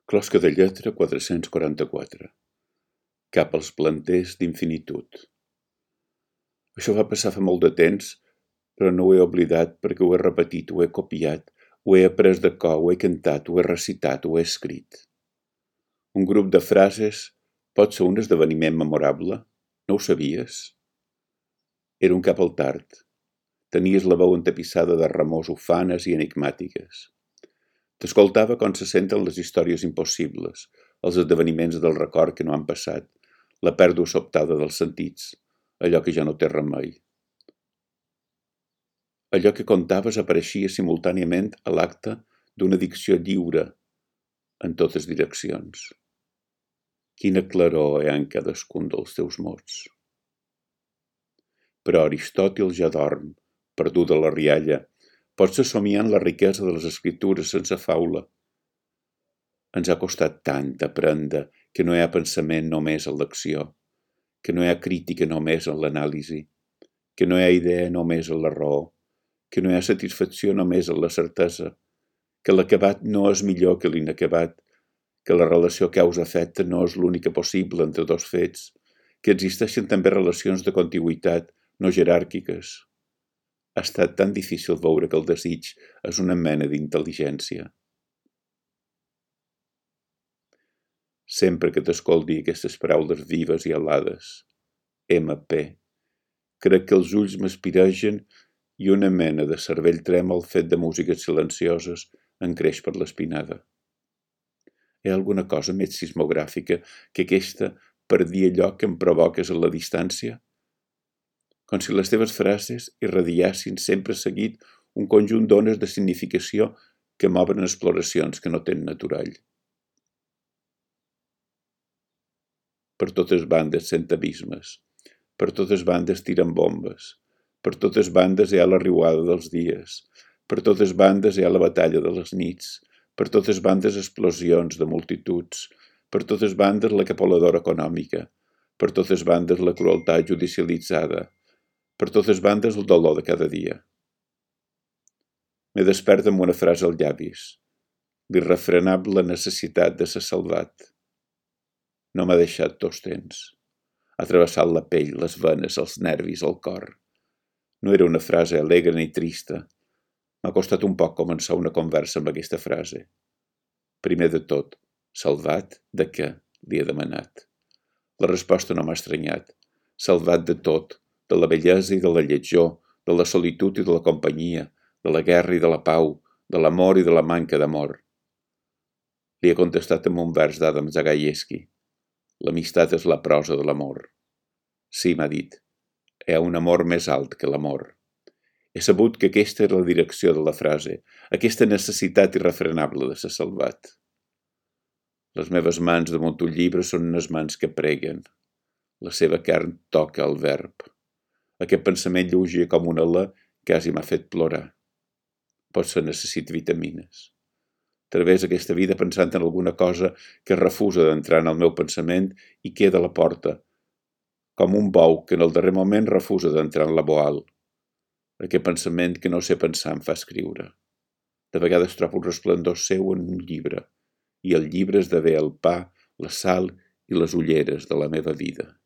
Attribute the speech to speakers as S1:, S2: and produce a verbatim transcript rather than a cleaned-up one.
S1: Closca de lletra quatre-cents quaranta-quatre. Cap als planters d'infinitud. Això va passar fa molt de temps, però no ho he oblidat perquè ho he repetit, ho he copiat, ho he après de cor, ho he cantat, ho he recitat, ho he escrit. Un grup de frases pot ser un esdeveniment memorable? No ho sabies? Era un cap al tard. Tenies la veu entapissada de remors ufanes i enigmàtiques. T'escoltava com se senten les històries impossibles, els esdeveniments del record que no han passat, la pèrdua sobtada dels sentits, allò que ja no té remei. Allò que contaves apareixia simultàniament a l'acte d'una dicció lliure en totes direccions. Quina claror hi ha en cadascun dels teus mots. Però Aristòtil ja dorm, perdut a la rialla, potser somiant la riquesa de les escritures sense faula. Ens ha costat tant aprendre que no hi ha pensament només en l'acció, que no hi ha crítica només en l'anàlisi, que no hi ha idea només en la raó, que no hi ha satisfacció només en la certesa, que l'acabat no és millor que l'inacabat, que la relació causa-efecte no és l'única possible entre dos fets, que existeixen també relacions de contigüitat no jeràrquiques. Ha estat tan difícil veure que el desig és una mena d'intel·ligència. Sempre que t'escolti aquestes paraules vives i alades, ema pe, crec que els ulls m'espiregen i una mena de cervell trèmol fet de músiques silencioses en creix per l'espinada. Hi ha alguna cosa més sismogràfica que aquesta per dir allò que em provoques a la distància? Com si les teves frases irradiassin sempre seguit un conjunt d'ones de significació que m'obren exploracions que no tenen aturall. Per totes bandes sent abismes, per totes bandes tiren bombes, per totes bandes hi ha la riuada dels dies, per totes bandes hi ha la batalla de les nits, per totes bandes explosions de multituds, per totes bandes la capoladora econòmica, per totes bandes la crueltat judicialitzada, per totes bandes el dolor de cada dia. M'he despert amb una frase als llavis, l'irrefrenable necessitat de ser salvat. No m'ha deixat dos temps. Ha travessat la pell, les venes, els nervis, el cor. No era una frase alegre ni trista. M'ha costat un poc començar una conversa amb aquesta frase. Primer de tot, salvat de què? Li he demanat. La resposta no m'ha estranyat. Salvat de tot, de la bellesa i de la lletjor, de la solitud i de la companyia, de la guerra i de la pau, de l'amor i de la manca d'amor. Li he contestat amb un vers d'Adam Zagajewski. L'amistat és la prosa de l'amor. Sí, m'ha dit, hi ha un amor més alt que l'amor. He sabut que aquesta era la direcció de la frase, aquesta necessitat irrefrenable de ser salvat. Les meves mans damunt un llibre són unes mans que preguen. La seva carn toca el verb. Aquest pensament lleuger com un alè quasi m'ha fet plorar. Potser necessito vitamines. Través aquesta vida pensant en alguna cosa que refusa d'entrar en el meu pensament i queda a la porta, com un bou que en el darrer moment refusa d'entrar en la boal. Aquest pensament que no sé pensar em fa escriure. De vegades trobo un resplendor seu en un llibre, i el llibre esdevé el pa, la sal i les ulleres de la meva vida.